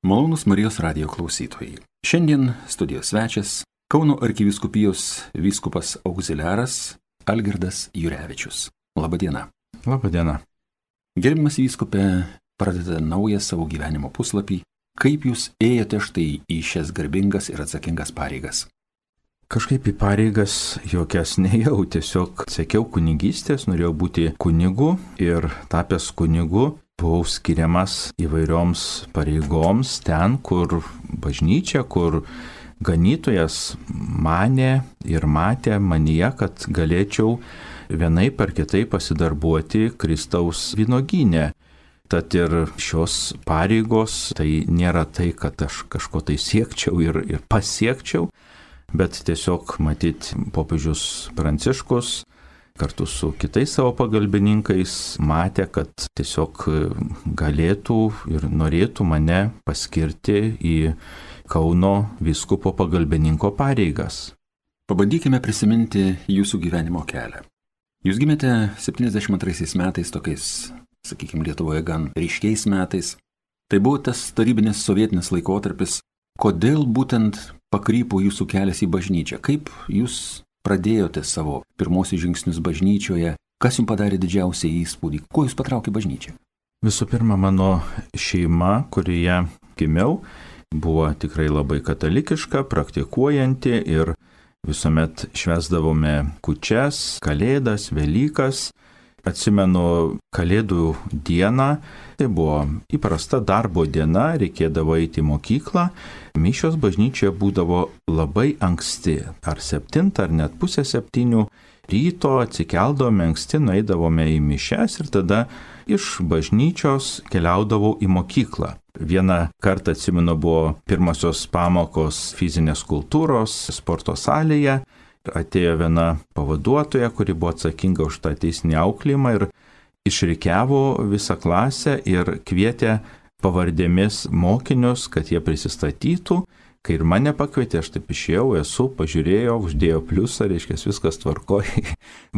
Malonūs Marijos radijo klausytojai. Šiandien studijos svečias Kauno arkivyskupijos vyskupas auxiliaras Algirdas Jurevičius. Labadiena. Labadiena. Gerbiamas vyskupe, pradedate naują savo gyvenimo puslapį. Kaip jūs ėjote štai į šias garbingas ir atsakingas pareigas? Kažkaip į pareigas jokias nejau, tiesiog sekiau kunigystės, norėjau būti kunigu ir tapęs kunigu buvau skiriamas įvairioms pareigoms ten, kur bažnyčia, kur ganytojas manė ir matė manyje, kad galėčiau vienaip ar kitaip pasidarbuoti Kristaus vynuogyne. Tad ir šios pareigos tai nėra tai, kad aš kažko tai siekčiau ir pasiekčiau, bet tiesiog matyt popiežius Pranciškus kartu su kitais savo pagalbininkais matė, kad tiesiog galėtų ir norėtų mane paskirti į Kauno vyskupo pagalbininko pareigas. Pabandykime prisiminti jūsų gyvenimo kelią. Jūs gimėte 72 metais, tokiais, sakykime, Lietuvoje gan ryškiais metais. Tai buvo tas tarybinis sovietinis laikotarpis. Kodėl būtent pakrypo jūsų kelias į bažnyčią? Kaip jūs pradėjote savo pirmosius žingsnius bažnyčioje? Kas jums padarė didžiausią įspūdį? Kuo jūs patraukė bažnyčią? Visų pirma, mano šeima, kurioje gimiau, buvo tikrai labai katalikiška, praktikuojanti ir visuomet švęsdavome kūčias, kalėdas, Velykas. Atsimenu Kalėdų dieną, tai buvo įprasta darbo diena, reikėdavo eiti į mokyklą. Mišios bažnyčioje būdavo labai anksti, ar 7, ar net pusę 7 ryto atsikeldavome anksti, nueidavome į mišias ir tada iš bažnyčios keliaudavau į mokyklą. Vieną kartą atsimenu buvo pirmosios pamokos fizinės kultūros sporto salėje. Atėjo viena pavaduotoja, kuri buvo atsakinga už tą teisinį auklėjimą ir išrikiavo visą klasę ir kvietė pavardėmis mokinius, kad jie prisistatytų. Kai ir mane pakvietė, aš taip išėjau, pažiūrėjau, uždėjo pliusą, reiškia viskas tvarkoja.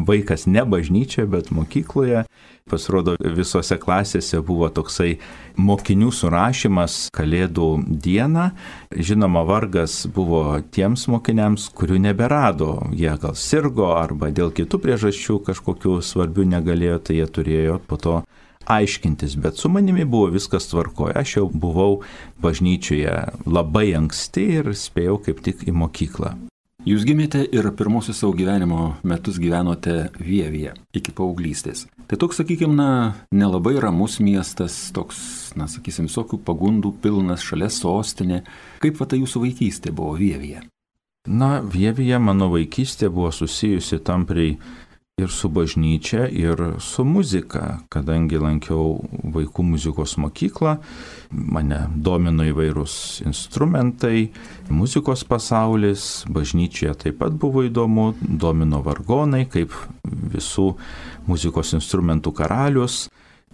Vaikas ne bažnyčioje, bet mokykloje. Pasirodo, visose klasėse buvo toksai mokinių surašymas Kalėdų dieną. Žinoma, vargas buvo tiems mokiniams, kurių neberado. Jie gal sirgo arba dėl kitų priežasčių kažkokių svarbių negalėjo, tai jie turėjo po to aiškintis, bet su manimi buvo viskas tvarkoje. Aš jau buvau bažnyčioje labai anksti ir spėjau kaip tik į mokyklą. Jūs gimėte ir pirmosius savo gyvenimo metus gyvenote Vievyje iki paauglystės. Tai toks, sakykime, nelabai ramus miestas, toks, sakysim, visokių pagundų pilnas, šalia sostinė. Kaip ta jūsų vaikystė buvo Vievyje? Vievyje mano vaikystė buvo susijusi tampriai ir su bažnyčia, ir su muzika, kadangi lankiau vaikų muzikos mokyklą, mane domino įvairūs instrumentai, muzikos pasaulis, bažnyčioje taip pat buvo įdomu, domino vargonai, kaip visų muzikos instrumentų karalius,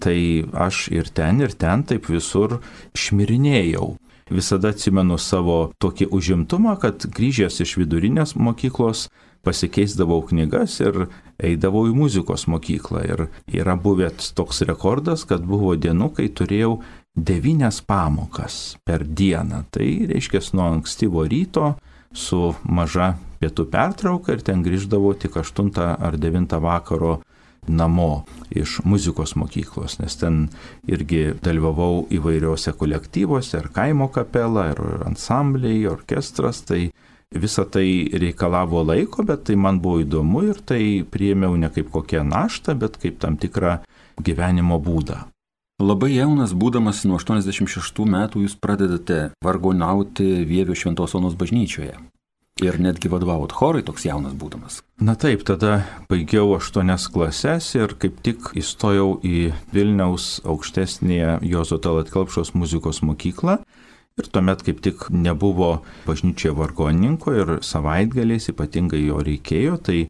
tai aš ir ten taip visur šmirinėjau. Visada atsimenu savo tokį užimtumą, kad grįžęs iš vidurinės mokyklos pasikeisdavau knygas ir eidavau į muzikos mokyklą. Ir yra buvęs toks rekordas, kad buvo dienų, kai turėjau 9 pamokas per dieną. Tai reiškia nuo ankstyvo ryto su maža pietų pertrauka ir ten grįždavau tik 8 ar 9 vakaro namo iš muzikos mokyklos, nes ten irgi dalyvavau įvairiuose kolektyvuose, ir kaimo kapela, ir ansambliai, orkestras, tai visa tai reikalavo laiko, bet tai man buvo įdomu ir tai priėmiau ne kaip kokią naštą, bet kaip tam tikrą gyvenimo būdą. Labai jaunas būdamas nuo 86 metų jūs pradedate vargonauti Vievio Šventos Onos bažnyčioje. Ir netgi vadovavot chorui toks jaunas būdamas. Taip, tada baigiau 8 klases ir kaip tik įstojau į Vilniaus aukštesnėje Juozo Tallat Kelpšos muzikos mokyklą. Ir tuomet kaip tik nebuvo bažnyčioje vargonininko ir savaitgaliais ypatingai jo reikėjo, tai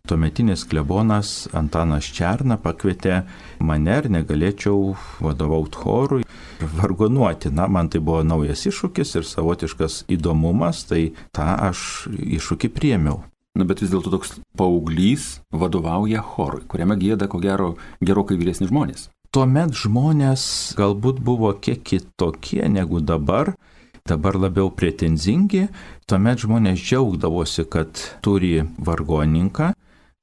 tuometinis klebonas Antanas Černa pakvietė mane ir negalėčiau vadovauti chorui ir vargonuoti. Man tai buvo naujas iššūkis ir savotiškas įdomumas, tai tą aš iššūkį priėmiau. Bet vis dėlto toks paauglys vadovauja chorui, kuriame gieda, ko gero, gerokai vyresni žmonės. tuomet žmonės galbūt buvo kiek kitokie negu dabar labiau pretenzingi, tuomet žmonės džiaugdavosi, kad turi vargonininką,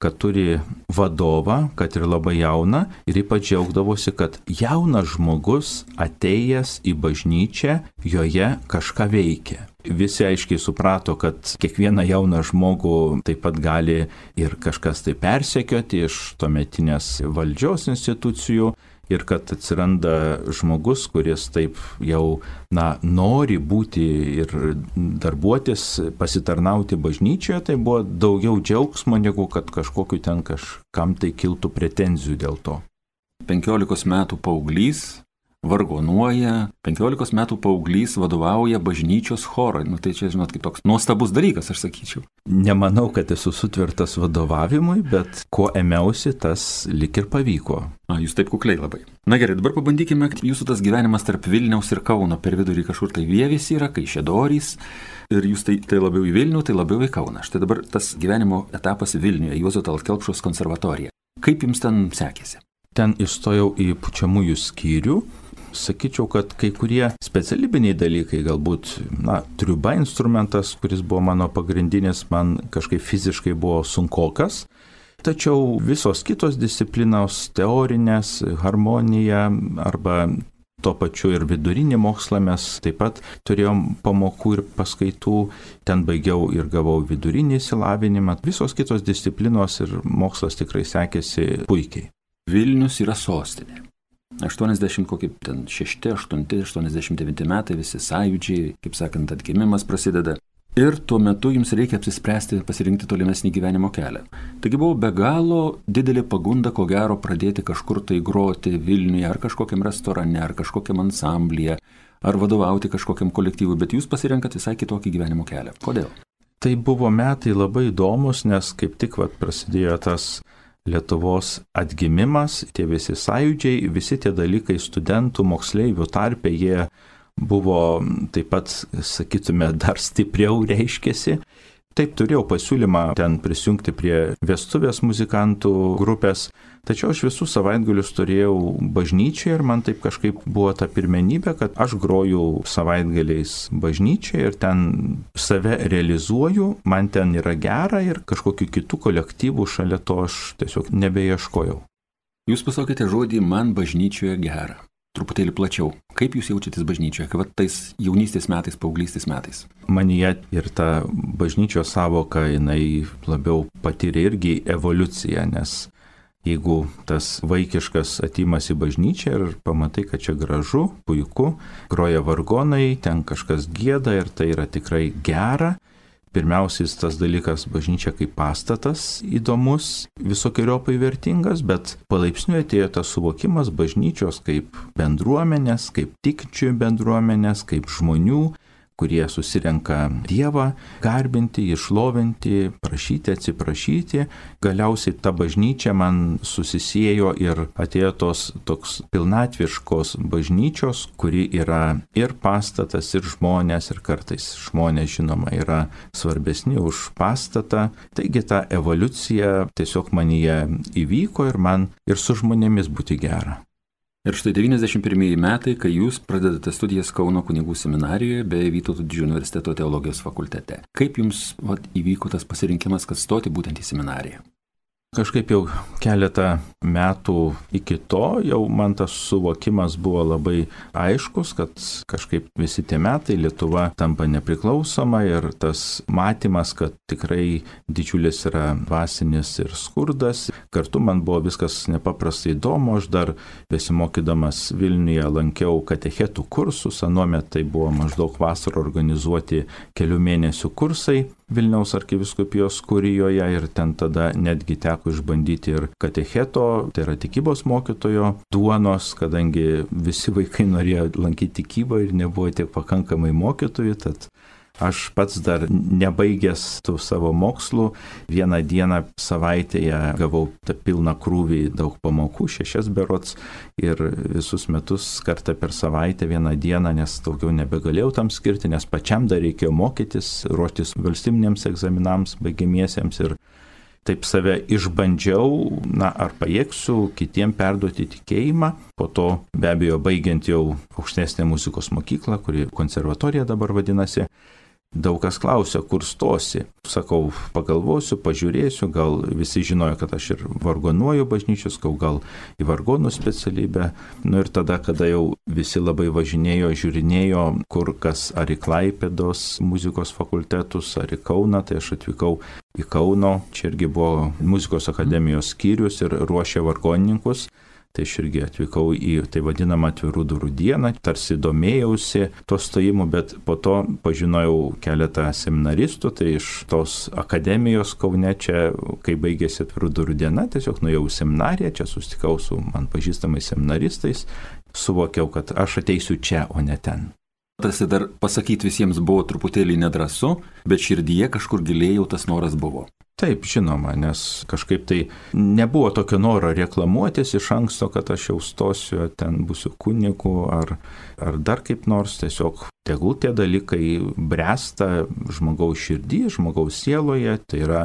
kad turi vadovą, kad ir labai jauną, ir ypač džiaugdavosi, kad jaunas žmogus atėjęs į bažnyčią joje kažką veikia. Visi aiškiai suprato, kad kiekvieną jauną žmogų taip pat gali ir kažkas tai persekioti iš tuometinės valdžios institucijų, ir kad atsiranda žmogus, kuris taip jau nori būti ir darbuotis, pasitarnauti bažnyčioje, tai buvo daugiau džiaugsmo, negu kad kažkam tai kiltų pretenzijų dėl to. 15 metų paauglys vargonuoja, 15 metų paauglys vadovauja bažnyčios chorui. Tai čia, žinot, kaip toks nuostabus dalykas, aš sakyčiau. Nemanau, kad esu sutvirtas vadovavimui, bet ko ėmiausi, tas lik ir pavyko. Jūs taip kukliai labai. Na gerai, dabar pabandykime, jūsų tas gyvenimas tarp Vilniaus ir Kauno per vidurį kažkur tai Vievis yra, Kaišiadorys, ir jūs tai labiau į Vilnių, tai labiau į Kauną. Štai dabar tas gyvenimo etapas Vilniuje, Juozo Tallat Kelpšos konservatorija. Kaip jums ten sekėsi? Ten įstojau į pučiamųjų skyrių. Sakyčiau, kad kai kurie specialybiniai dalykai, galbūt, triuba instrumentas, kuris buvo mano pagrindinis, man kažkaip fiziškai buvo sunkokas. Tačiau visos kitos disciplinos, teorinės, harmonija arba tuo pačiu ir vidurinį mokslą mes taip pat turėjom pamokų ir paskaitų. Ten baigiau ir gavau vidurinį išsilavinimą. Visos kitos disciplinos ir mokslas tikrai sekėsi puikiai. Vilnius yra sostinė. 86, 8, 89 metai, visi sąjūdžiai, kaip sakant, atgimimas prasideda. Ir tuo metu jums reikia apsispręsti pasirinkti tolimesnį gyvenimo kelią. Taigi buvo be galo didelė pagunda, ko gero, pradėti kažkur tai groti Vilniuje, ar kažkokiam restorane, ar kažkokiam ansamblyje, ar vadovauti kažkokiam kolektyvui, bet jūs pasirenkat visai kitokį gyvenimo kelią. Kodėl? Tai buvo metai labai įdomus, nes kaip tik prasidėjo tas Lietuvos atgimimas, tie visi sąjūdžiai, visi tie dalykai studentų, moksleivių tarpe, jie buvo taip pat, sakytume, dar stipriau reiškėsi. Taip, turėjau pasiūlymą ten prisijungti prie vestuvės muzikantų grupės, tačiau aš visus savaitgalius turėjau bažnyčioje ir man taip kažkaip buvo ta pirmenybė, kad aš groju savaitgaliais bažnyčioje ir ten save realizuoju, man ten yra gera ir kažkokiu kitų kolektyvų šalia to aš tiesiog nebeieškojau. Jūs pasakėte žodį "man bažnyčioje gera". Truputėlį plačiau. Kaip jūs jaučiatės bažnyčioje, kaip tais jaunystės metais, paauglystės metais? Manyje ir ta bažnyčios savoka, jinai labiau patyrė irgi evoliuciją, nes jeigu tas vaikiškas atėjimas į bažnyčią ir pamatai, kad čia gražu, puiku, groja vargonai, ten kažkas gieda ir tai yra tikrai gera. Pirmiausias tas dalykas bažnyčia kaip pastatas įdomus, visokiojopai vertingas, bet palaipsniui atėjo tas suvokimas bažnyčios kaip bendruomenės, kaip tikinčių bendruomenės, kaip žmonių, kurie susirenka Dievą, garbinti, išlovinti, prašyti, atsiprašyti. Galiausiai ta bažnyčia man susisiejo ir atėjo toks pilnatviškos bažnyčios, kuri yra ir pastatas, ir žmonės, ir kartais žmonės, žinoma, yra svarbesni už pastatą. Taigi ta evoliucija tiesiog manyje įvyko ir man ir su žmonėmis būti gera. Ir štai 91 metai, kai jūs pradedate studijas Kauno kunigų seminarijoje bei Vytauto Didžiojo universiteto teologijos fakultete. Kaip jums įvyko tas pasirinkimas, kad stoti būtent į seminariją? Kažkaip jau keletą metų iki to jau man tas suvokimas buvo labai aiškus, kad kažkaip visi tie metai Lietuva tampa nepriklausoma ir tas matymas, kad tikrai didžiulis yra dvasinis ir skurdas. Kartu man buvo viskas nepaprastai įdomu, aš dar besimokydamas Vilniuje lankiau katechetų kursus, anuomet tai buvo maždaug vasarą organizuoti kelių mėnesių kursai Vilniaus arkivyskupijos kurijoje ir ten tada netgi teko išbandyti ir katecheto, tai yra tikybos mokytojo duonos, kadangi visi vaikai norėjo lankyti tikybą ir nebuvo tiek pakankamai mokytojų, tad aš pats dar nebaigęs tų savo mokslų, vieną dieną savaitėje gavau tą pilną krūvį daug pamokų, 6 berods, ir visus metus kartą per savaitę vieną dieną, nes daugiau nebegalėjau tam skirti, nes pačiam dar reikėjo mokytis, ruoštis valstybiniams egzaminams, baigiamiesiems ir taip save išbandžiau, ar pajėgsiu kitiem perduoti tikėjimą. Po to be abejo baigiant jau aukštesnę muzikos mokyklą, kuri konservatorija dabar vadinasi, daug kas klausia, kur stosi. Sakau, pagalvosiu, pažiūrėsiu, gal visi žinojo, kad aš ir vargonuoju bažnyčios, gal į vargonų specialybę. Ir tada, kada jau visi labai važinėjo, žiūrinėjo, kur kas ar į Klaipėdos muzikos fakultetus, ar į Kauną, tai aš atvykau į Kauno. Čia irgi buvo muzikos akademijos skyrius ir ruošė vargonininkus. Tai aš irgi atvykau į tai vadinamą atvirų durų dieną, tarsi domėjausi to stojimu, bet po to pažinojau keletą seminaristų, tai iš tos akademijos Kaune čia, kai baigėsi atvirų durų diena, tiesiog nuėjau į seminariją, čia susitikau su man pažįstamais seminaristais, suvokiau, kad aš ateisiu čia, o ne ten. Tarsi dar pasakyti visiems buvo truputėlį nedrąsu, bet širdyje kažkur giliai jau tas noras buvo. Taip, žinoma, nes kažkaip tai nebuvo tokio noro reklamuotis iš anksto, kad aš jau stosiu, ten būsiu kunigu ar dar kaip nors, tiesiog tegul tie dalykai bręsta žmogaus širdį, žmogaus sieloje, tai yra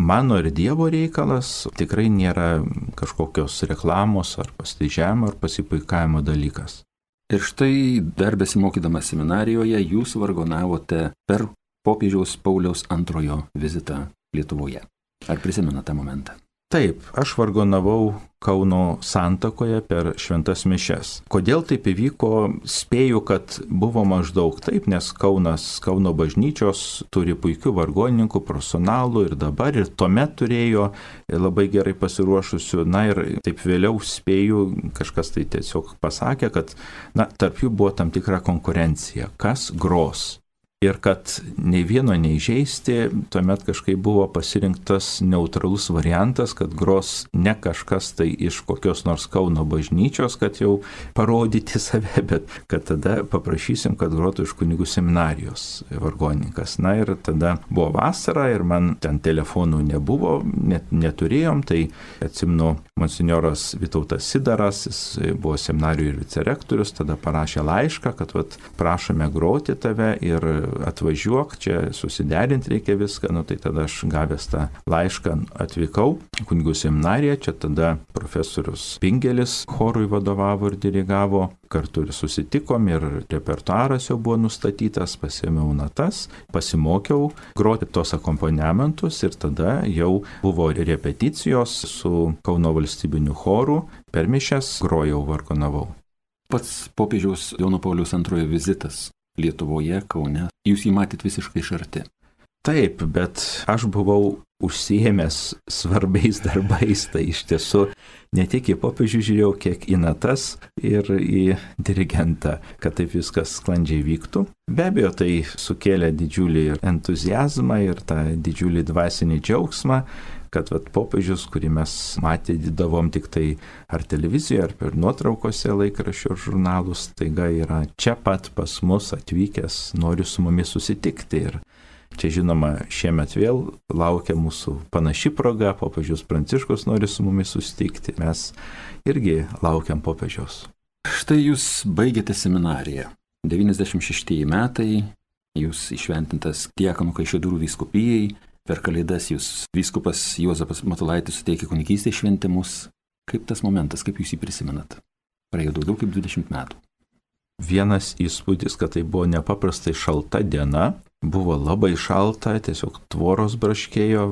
mano ir Dievo reikalas, tikrai nėra kažkokios reklamos ar pasididžiavimo ar pasipuikavimo dalykas. Ir štai dar besimokydamas seminarijoje jūs vargonavote per popiežiaus Pauliaus II vizitą Lietuvoje. Ar prisimena tą momentą? Taip, aš vargonavau Kauno Santakoje per šventas mišias. Kodėl taip įvyko? Spėju, kad buvo maždaug taip, nes Kauno bažnyčios turi puikių vargonininkų, profesionalų ir dabar, ir tuomet turėjo labai gerai pasiruošusių. Ir taip vėliau spėju, kažkas tai tiesiog pasakė, kad tarp jų buvo tam tikra konkurencija. Kas gros? Ir kad nei vieno neįžeisti, tuomet kažkaip buvo pasirinktas neutralus variantas, kad gros ne kažkas tai iš kokios nors Kauno bažnyčios, kad jau parodyti save, bet kad tada paprašysim, kad grotų iš kunigų seminarijos vargonininkas. Ir tada buvo vasara ir man ten telefonų nebuvo, neturėjom, tai atsimenu, monsinjoras Vytautas Sidaras, jis buvo seminarijų ir vicerektorius, tada parašė laišką, kad prašome groti tave ir atvažiuok, čia susiderinti reikia viską, tai tada aš gavęs tą laišką atvykau kunigų seminariją, čia tada profesorius Pingelis chorui vadovavo ir dirigavo, kartu ir susitikom ir repertuaras jau buvo nustatytas, pasiėmiau natas, pasimokiau groti tos akompaniamentus ir tada jau buvo repeticijos su Kauno valstybiniu choru, per mišias grojau, vargonavau. Pats popiežiaus Jono Pauliaus II vizitas Lietuvoje, Kaune, jūs jį matėt visiškai iš arti. Taip, bet aš buvau užsiėmęs svarbiais darbais, tai iš tiesų ne tik į popiežių žiūrėjau, kiek į natas ir į dirigentą, kad taip viskas sklandžiai vyktų. Be abejo, tai sukėlė didžiulį entuziazmą ir tą didžiulį dvasinį džiaugsmą, kad popiežius, kurį mes matydavom tik tai ar televizijoje, ar per nuotraukose laikraščių ir žurnalus, taiga yra čia pat pas mus atvykęs, nori su mumis susitikti. Ir čia žinoma, šiemet vėl laukia mūsų panaši proga, popiežius Pranciškus nori su mumis susitikti, mes irgi laukiam popiežiaus. Štai jūs baigėte seminariją. 96 metai, jūs išventintas diakonų Kaišiadorių vyskupijai. Per Kalėdas jūs vyskupas Juozapas Matulaitis suteikė kunigystės šventimus. Kaip tas momentas, kaip jūs jį prisimenat? Praėjo daugiau kaip 20 metų. Vienas įspūdis, kad tai buvo nepaprastai šalta diena. Buvo labai šalta, tiesiog tvoros braškėjo,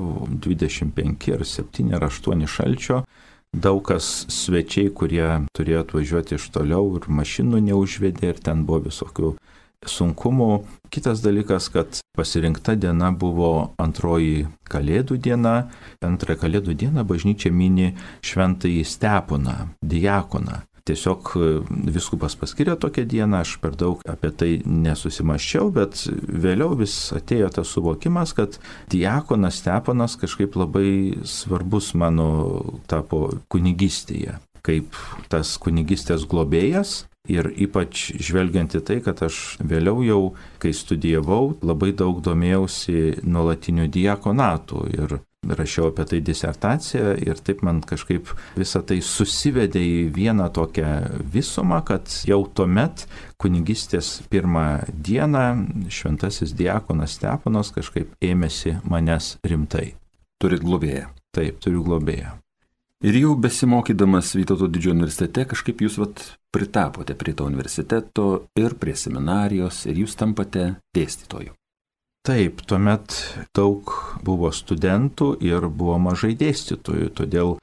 25 ar 7 ar 8 šalčio. Daug kas svečiai, kurie turėjo atvažiuoti iš toliau ir mašinų neužvedė ir ten buvo visokių sunkumų. Kitas dalykas, kad pasirinkta diena buvo antroji Kalėdų diena. Antrąją Kalėdų dieną bažnyčia mini šventąjį Steponą, diakoną. Tiesiog vyskupas paskyrė tokią dieną, aš per daug apie tai nesusimaščiau, bet vėliau vis atėjo tas suvokimas, kad diakonas Steponas kažkaip labai svarbus mano tapo kunigystėje, kaip tas kunigystės globėjas. Ir ypač žvelgiant į tai, kad aš vėliau jau, kai studijavau, labai daug domėjausi nuolatiniu diakonatu ir rašiau apie tai disertaciją ir taip man kažkaip visą tai susivedė į vieną tokią visumą, kad jau tuomet kunigystės pirmą dieną šventasis diakonas Steponas kažkaip ėmėsi manęs rimtai. Turit globėją. Taip, turiu globėją. Ir jau besimokydamas Vytauto didžiojo universitete kažkaip jūs pritapote prie to universiteto ir prie seminarijos ir jūs tampate dėstytoju. Taip, tuomet daug buvo studentų ir buvo mažai dėstytojų, todėl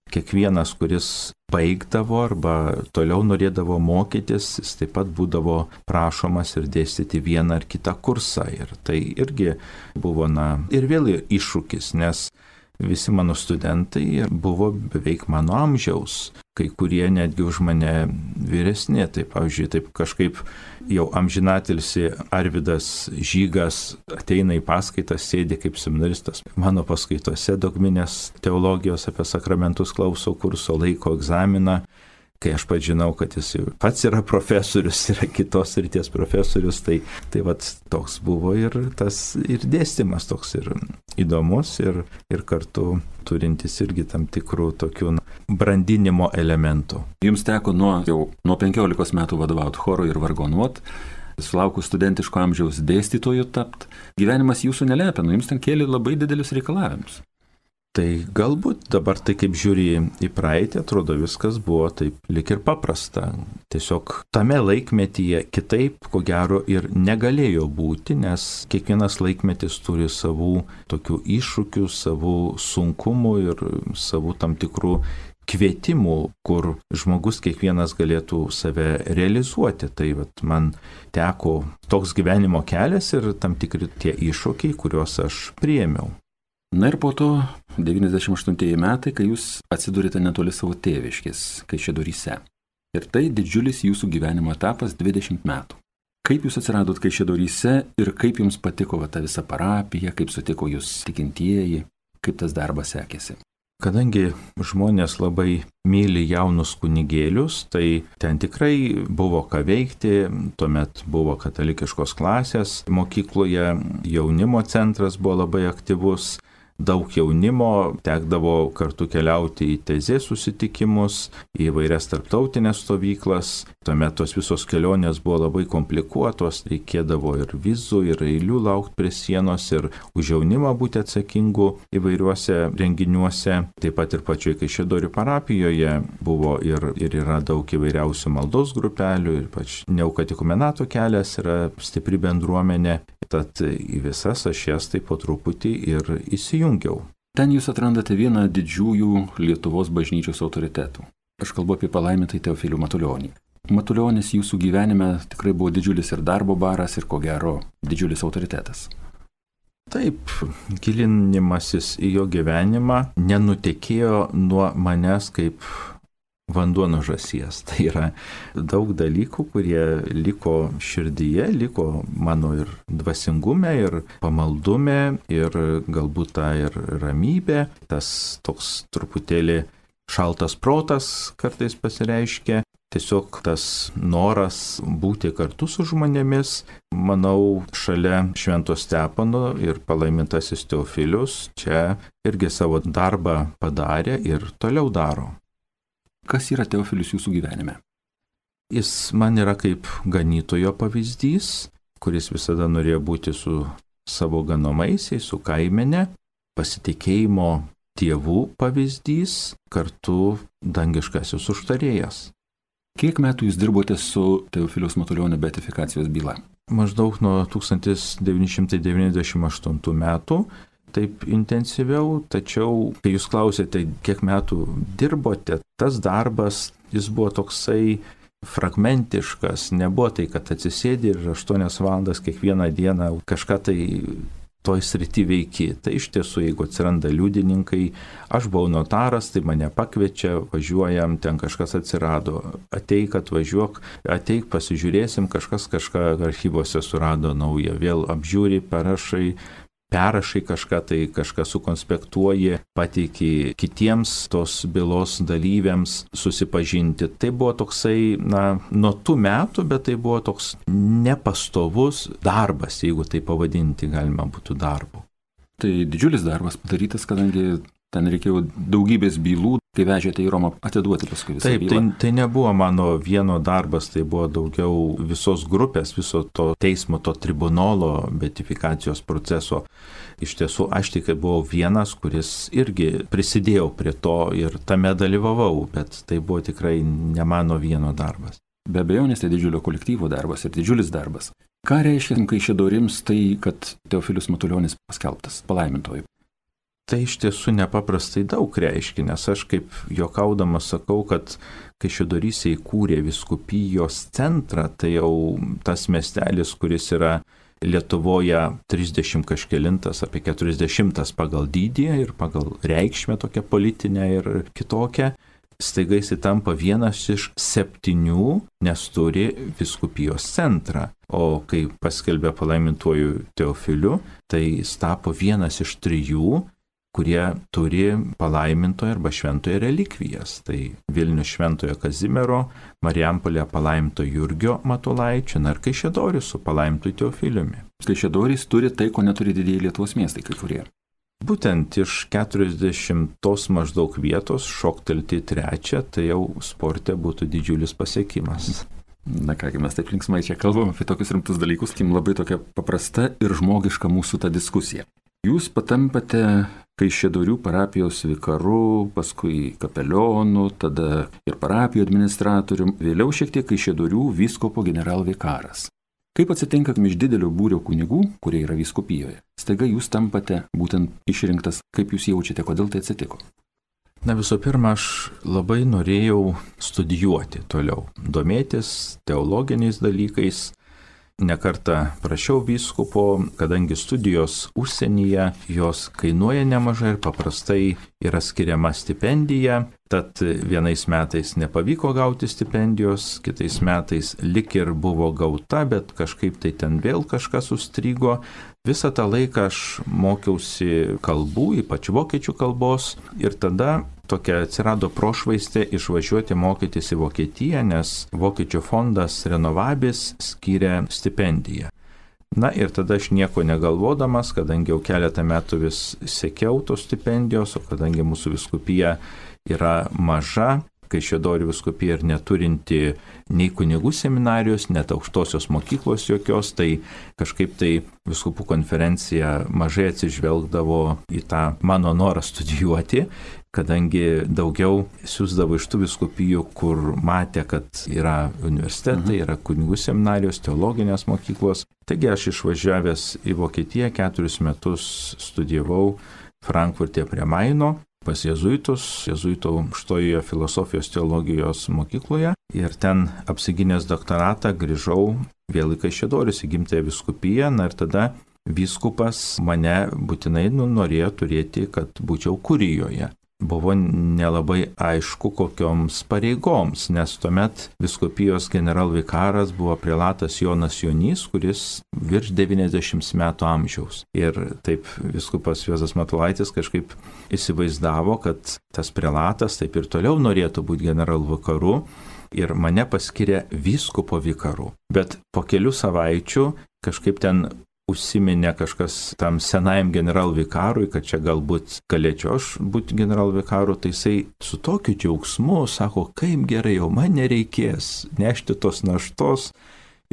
kiekvienas, kuris baigdavo arba toliau norėdavo mokytis, jis taip pat būdavo prašomas ir dėstyti vieną ar kitą kursą. Ir tai irgi buvo, ir vėl iššūkis, nes visi mano studentai buvo beveik mano amžiaus, kai kurie netgi už mane vyresni. Tai, pavyzdžiui, taip kažkaip jau amžinatilsi Arvydas Žygas ateina į paskaitas, sėdi kaip seminaristas. Mano paskaitose dogminės teologijos apie sakramentus klauso kurso, laiko egzaminą. Kai aš pats žinau, kad jis pats yra profesorius, yra kitos srities profesorius, tai vat toks buvo ir tas ir dėstymas toks ir įdomus ir kartu turintis irgi tam tikrų tokių brandinimo elementų. Jums teko nuo 15 metų vadovauti chorui ir vargonuot, sulaukus studentiško amžiaus dėstytojų tapt. Gyvenimas jūsų nelepino, jums ten kėlė labai didelius reikalavimus. Tai galbūt dabar tai kaip žiūri į praeitį, atrodo viskas buvo taip lik ir paprasta. Tiesiog tame laikmetyje kitaip, ko gero, ir negalėjo būti, nes kiekvienas laikmetis turi savų tokių iššūkių, savų sunkumų ir savų tam tikrų kvietimų, kur žmogus kiekvienas galėtų save realizuoti. Tai man teko toks gyvenimo kelias ir tam tikri tie iššūkiai, kuriuos aš priėmiau. Na ir po to 98 metai, kai jūs atsidūrėte netoli savo tėviškės, Kaišiadoryse. Ir tai didžiulis jūsų gyvenimo etapas 20 metų. Kaip jūs atsiradot Kaišiadoryse ir kaip jums patiko ta visa parapija, kaip sutiko jūs tikintieji, kaip tas darbas sekėsi? Kadangi žmonės labai myli jaunus kunigėlius, tai ten tikrai buvo ką veikti, tuomet buvo katalikiškos klasės mokykloje, jaunimo centras buvo labai aktyvus, daug jaunimo, tekdavo kartu keliauti į tezės susitikimus, į įvairias tarptautinės stovyklas. Tuomet tos visos kelionės buvo labai komplikuotos, reikėdavo ir vizų, ir eilių laukti prie sienos, ir už jaunimą būti atsakingu įvairiuose renginiuose. Taip pat ir pačioj Kaišiadorių parapijoje buvo ir yra daug įvairiausių maldos grupelių, ir pač neokatikumenato kelias yra stipri bendruomenė. Tad į visas aš jas taip po truputį ir įsijungiau. Ten jūs atrandate vieną didžiųjų Lietuvos bažnyčios autoritetų. Aš kalbu apie palaimintąjį Teofilių Matulionį. Matulionis jūsų gyvenime tikrai buvo didžiulis ir darbo baras, ir ko gero didžiulis autoritetas. Taip, gilinimasis į jo gyvenimą nenutekėjo nuo manęs kaip vanduo nuo žąsies. Tai yra daug dalykų, kurie liko širdyje, liko mano ir dvasingume, ir pamaldume, ir galbūt ta ir ramybė, tas toks truputėlį šaltas protas kartais pasireiškia. Tiesiog tas noras būti kartu su žmonėmis, manau, šalia Švento Stepono ir palaimintasis Teofilius čia irgi savo darbą padarė ir toliau daro. Kas yra Teofilius jūsų gyvenime? Jis man yra kaip ganytojo pavyzdys, kuris visada norėjo būti su savo ganomaissiais, su kaimene, pasitikėjimo Dievų pavyzdys, kartu dangiškasis užtarėjas. Kiek metų jūs dirbote su Teofiliaus Matulionio beatifikacijos byla? Maždaug nuo 1998 metų. Taip intensyviau, tačiau, kai jūs klausėte, kiek metų dirbote, tas darbas, jis buvo toksai fragmentiškas, nebuvo tai, kad atsisėdi ir 8 valandas kiekvieną dieną kažką tai toj srity veiki. Tai iš tiesų, jeigu atsiranda liudininkai, aš buvau notaras, tai mane pakviečia, važiuojam, ten kažkas atsirado, ateik, atvažiuok, ateik, pasižiūrėsim, kažkas kažką archyvose surado naują, vėl apžiūri, perrašai kažką, tai kažką sukonspektuoji, pateiki kitiems tos bylos dalyviams susipažinti. Tai buvo toksai, nuo tų metų, bet tai buvo toks nepastovus darbas, jeigu tai pavadinti galima būtų darbu. Tai didžiulis darbas padarytas, kadangi Ten reikėjo daugybės bylų, kai vežėte į Romą atiduoti paskui visą bylą. Taip, tai nebuvo mano vieno darbas, tai buvo daugiau visos grupės, viso to teismo, to tribunolo beatifikacijos proceso. Iš tiesų, aš tik buvau vienas, kuris irgi prisidėjau prie to ir tame dalyvavau, bet tai buvo tikrai ne mano vieno darbas. Be abejonės tai didžiulio kolektyvo darbas ir didžiulis darbas. Ką reiškia Kaišiadoryms tai, kad Teofilius Matulionis paskelbtas palaimintoju? Tai iš tiesų nepaprastai daug reiškia, nes aš kaip juokaudamas sakau, kad Kaišiadoryse įkūrė vyskupijos centrą, tai jau tas miestelis, kuris yra Lietuvoje 30 kažkelintas, apie 40 pagal dydį ir pagal reikšmę tokią politinę ir kitokią, staiga jis tampa vienas iš 7, nes turi vyskupijos centrą. O kai paskelbė palaimintuoju Teofiliu, tai jis tapo vienas iš 3, kurie turi palaimintojo arba šventojo relikvijas. Tai Vilnius šventojo Kazimiero, Marijampolė palaimintojo Jurgio Matulaičio, ir Kaišiadorys su palaimintoju Teofiliumi. Kaišiadorys turi tai, ko neturi didieji Lietuvos miestai kai kurie. Būtent iš 40 maždaug vietos šoktelti 3, tai jau sporte būtų didžiulis pasiekimas. Na kągi, mes taip linksmai čia kalbam apie tokius rimtus dalykus, kim labai tokia paprasta ir žmogiška mūsų ta diskusija. Jūs patampate Kaišiadorių parapijos vikaru, paskui kapelionu, tada ir parapijų administratorium, vėliau šiek tiek Kaišiadorių vyskupo generalvikaras. Kaip atsitinka, iš didelio būrio kunigų, kurie yra vyskupijoje, staiga jūs tampate būtent išrinktas, kaip jūs jaučiate, kodėl tai atsitiko? Na visų pirma, aš labai norėjau studijuoti toliau, domėtis teologiniais dalykais. Nekartą prašiau vyskupo, kadangi studijos užsienyje, jos kainuoja nemažai ir paprastai yra skiriama stipendija, tad vienais metais nepavyko gauti stipendijos, kitais metais lik ir buvo gauta, bet kažkaip tai ten vėl kažkas užstrigo. Visą tą laiką aš mokiausi kalbų, ypač vokiečių kalbos, ir tada tokia atsirado prošvaistė išvažiuoti mokytis į Vokietiją, nes Vokiečių fondas Renovabis skyrė stipendiją. Na ir tada aš nieko negalvodamas, kadangi jau keletą metų vis sekiau tos stipendijos, o kadangi mūsų vyskupija yra maža, Kaišiadorių vyskupija ir neturinti nei kunigų seminarijos, net aukštosios mokyklos jokios, tai kažkaip tai vyskupų konferencija mažai atsižvelgdavo į tą mano norą studijuoti, kadangi daugiau siųsdavo iš tų vyskupijų, kur matė, kad yra universitetai, yra kunigų seminarijos, teologinės mokyklos. Taigi aš išvažiavęs į Vokietiją 4 metus studijavau Frankfurte prie Maino, pas jėzuitus, jėzuitų aukštojoje filosofijos teologijos mokykloje, ir ten apsigynęs doktoratą grįžau vėl į Kaišiadorius, į gimtąją vyskupiją, ir tada vyskupas mane būtinai norėjo turėti, kad būčiau kurijoje. Buvo nelabai aišku kokioms pareigoms, nes tuomet vyskupijos generalvikaras buvo prelatas Jonas Jonys, kuris virš 90 metų amžiaus. Ir taip vyskupas Juozas Matulaitis kažkaip įsivaizdavo, kad tas prelatas taip ir toliau norėtų būti generalvikaru ir mane paskyrė vyskupo vikaru. Bet po kelių savaičių kažkaip ten užsiminė kažkas tam senajam generalvikarui, kad čia galbūt galėčiau aš būti generalvikaru, tai jisai su tokiu džiaugsmu sako, kaip gerai, jau man nereikės nešti tos naštos.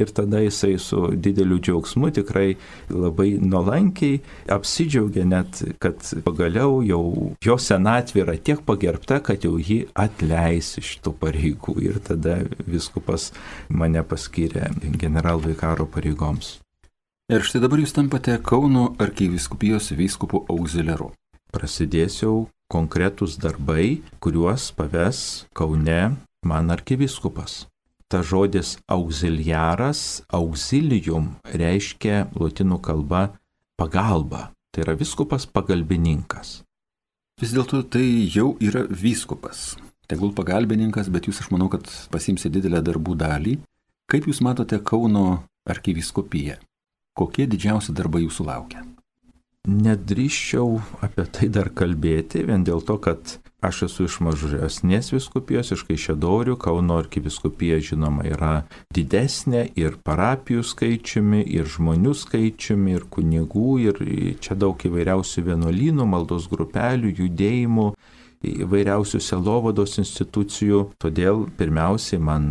Ir tada jisai su dideliu džiaugsmu tikrai labai nuolankiai apsidžiaugė net, kad pagaliau jau jo senatvė yra tiek pagerbta, kad jau jį atleis iš tų pareigų. Ir tada vyskupas mane paskyrė generalvikaro pareigoms. Ir štai dabar jūs tampate Kauno arkivyskupijos vyskupu auxiliaru. Prasidės jau konkretūs darbai, kuriuos paves Kaune man arkivyskupas. Ta žodis auxiliaras, auxilium, reiškia lotynų kalba pagalba. Tai yra vyskupas pagalbininkas. Vis dėlto tai jau yra vyskupas. Tegul pagalbininkas, bet jūs, aš manau, kad pasimsi didelę darbų dalį. Kaip jūs matote Kauno arkivyskupiją? Kokie didžiausi darbai jūsų laukia? Nedrįščiau apie tai dar kalbėti, vien dėl to, kad Aš esu iš mažesnės vyskupijos, iš Kaišiadorių. Kauno arkivyskupija, žinoma, yra didesnė ir parapijų skaičiumi, ir žmonių skaičiumi, ir kunigų, ir čia daug įvairiausių vienuolynų, maldos grupelių, judėjimų, įvairiausių sielovados institucijų. Todėl pirmiausiai man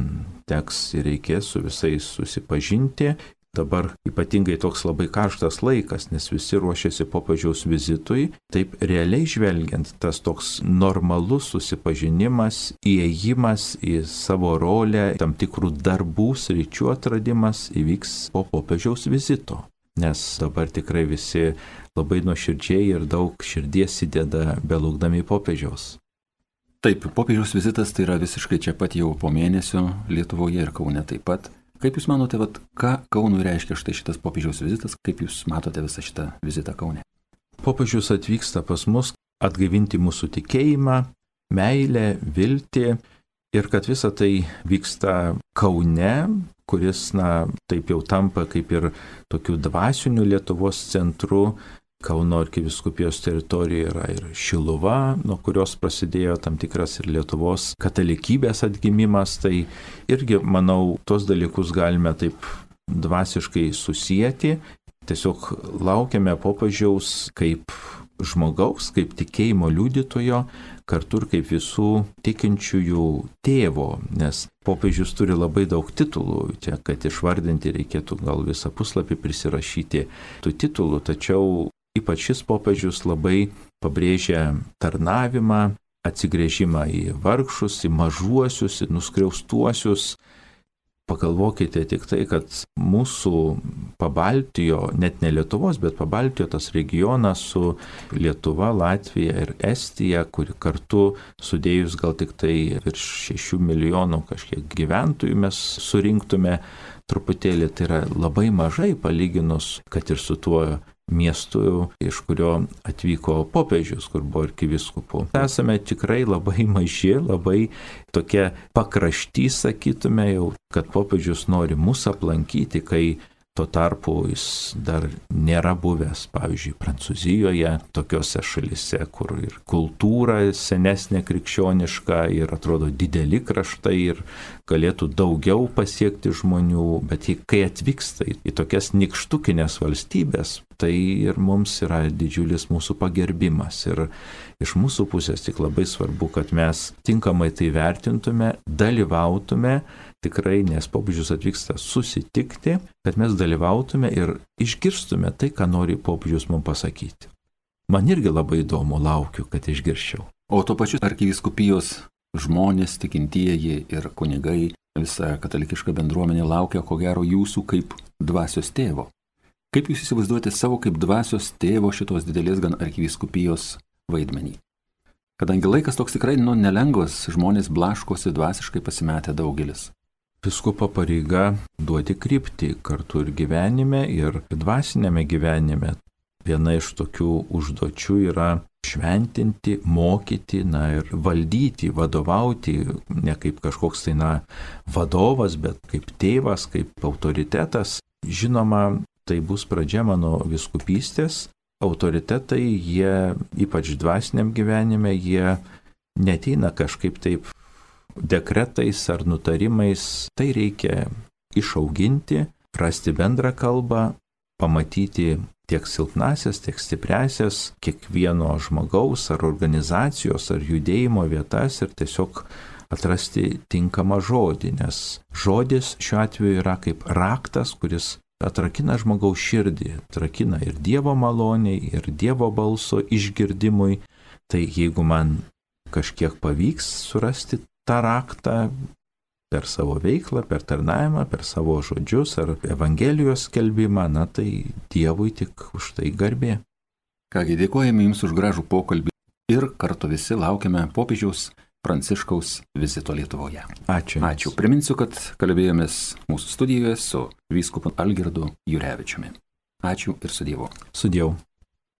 teks ir reikės su visais susipažinti. Dabar ypatingai toks labai karštas laikas, nes visi ruošiasi popiežiaus vizitui. Taip realiai žvelgiant, tas toks normalus susipažinimas, įėjimas į savo rolę, tam tikrų darbų, sričių atradimas įvyks po popiežiaus vizito. Nes dabar tikrai visi labai nuoširdžiai ir daug širdies įdeda belaukdami popiežiaus. Taip, popiežiaus vizitas tai yra visiškai čia pat jau po mėnesio Lietuvoje ir Kaune taip pat. Kaip Jūs manote, ką Kaunui reiškia štai šitas popiežiaus vizitas, kaip Jūs matote visą šitą vizitą Kaune? Popiežius atvyksta pas mus atgaivinti mūsų tikėjimą, meilę, viltį ir kad visa tai vyksta Kaune, kuris, taip jau tampa kaip ir tokiu dvasiniu Lietuvos centru. Kauno arkivyskupijos teritorijoje yra ir Šiluva, nuo kurios prasidėjo tam tikras ir Lietuvos katalikybės atgimimas. Tai irgi, manau, tos dalykus galime taip dvasiškai susijęti. Tiesiog laukiame popiežiaus kaip žmogaus, kaip tikėjimo liudytojo, kartu ir kaip visų tikinčiųjų tėvo, nes popiežius turi labai daug titulų. Čia, kad išvardinti, reikėtų gal visą puslapį prisirašyti tų titulų, tačiau ypač šis popiežius labai pabrėžia tarnavimą, atsigręžimą į vargšus, į mažuosius, į nuskriaustuosius. Pagalvokite tik tai, kad mūsų Pabaltijo, net ne Lietuvos, bet Pabaltijo tas regionas su Lietuva, Latvija ir Estija, kuri kartu sudėjus gal tik tai virš 6 milijonų kažkiek gyventojų mes surinktume truputėlį, tai yra labai mažai palyginus, kad ir su tuo miestu, iš kurio atvyko popiežius, kur buvo arkivyskupu. Esame tikrai labai maži, labai tokie pakrašty, sakytume jau, kad popiežius nori mus aplankyti, kai tuo tarpu jis dar nėra buvęs, pavyzdžiui, Prancūzijoje, tokiose šalise, kur ir kultūra senesnė krikščioniška ir atrodo dideli kraštai ir galėtų daugiau pasiekti žmonių, bet kai atvyksta į tokias nykštukinės valstybės, tai ir mums yra didžiulis mūsų pagerbimas. Ir iš mūsų pusės tik labai svarbu, kad mes tinkamai tai vertintume, dalyvautume, tikrai, nes popiežius atvyksta susitikti, kad mes dalyvautume ir išgirstume tai, ką nori popiežius mums pasakyti. Man irgi labai įdomu, laukiu, kad išgirščiau. O tuo pačiu arkivyskupijos žmonės, tikintieji ir kunigai, visa katalikiška bendruomenė laukia, ko gero, jūsų kaip dvasios tėvo. Kaip jūs įsivaizduojate savo kaip dvasios tėvo šitos didelės gan arkivyskupijos vaidmenį? Kadangi laikas toks tikrai nelengvas, žmonės blaškosi dvasiškai pasimetę daugelis. Vyskupo pareiga duoti kryptį kartu ir gyvenime, ir dvasinėme gyvenime. Viena iš tokių užduočių yra šventinti, mokyti, ir valdyti, vadovauti, ne kaip kažkoks vadovas, bet kaip tėvas, kaip autoritetas. Žinoma, tai bus pradžia mano vyskupystės. Autoritetai, jie, ypač dvasiniam gyvenime, jie neteina kažkaip taip dekretais ar nutarimais. Tai reikia išauginti, rasti bendrą kalbą, pamatyti tiek silpnasias, tiek stipriasias kiekvieno žmogaus ar organizacijos ar judėjimo vietas ir tiesiog atrasti tinkamą žodį, nes žodis šiuo atveju yra kaip raktas, kuris atrakina žmogaus širdį, atrakina ir Dievo maloniai, ir Dievo balso išgirdimui. Tai jeigu man kažkiek pavyks surasti tą raktą per savo veiklą, per tarnavimą, per savo žodžius ar Evangelijos skelbimą, tai Dievui tik už tai garbė. Kągi, dėkojame Jums už gražų pokalbį ir kartu visi laukiame popiežiaus Pranciškaus vizito Lietuvoje. Ačiū. Ačiū. Priminsiu, kad kalbėjomės mūsų studijoje su vyskupu Algirdu Jurevičiumi. Ačiū ir su Dievu. Su Dievu.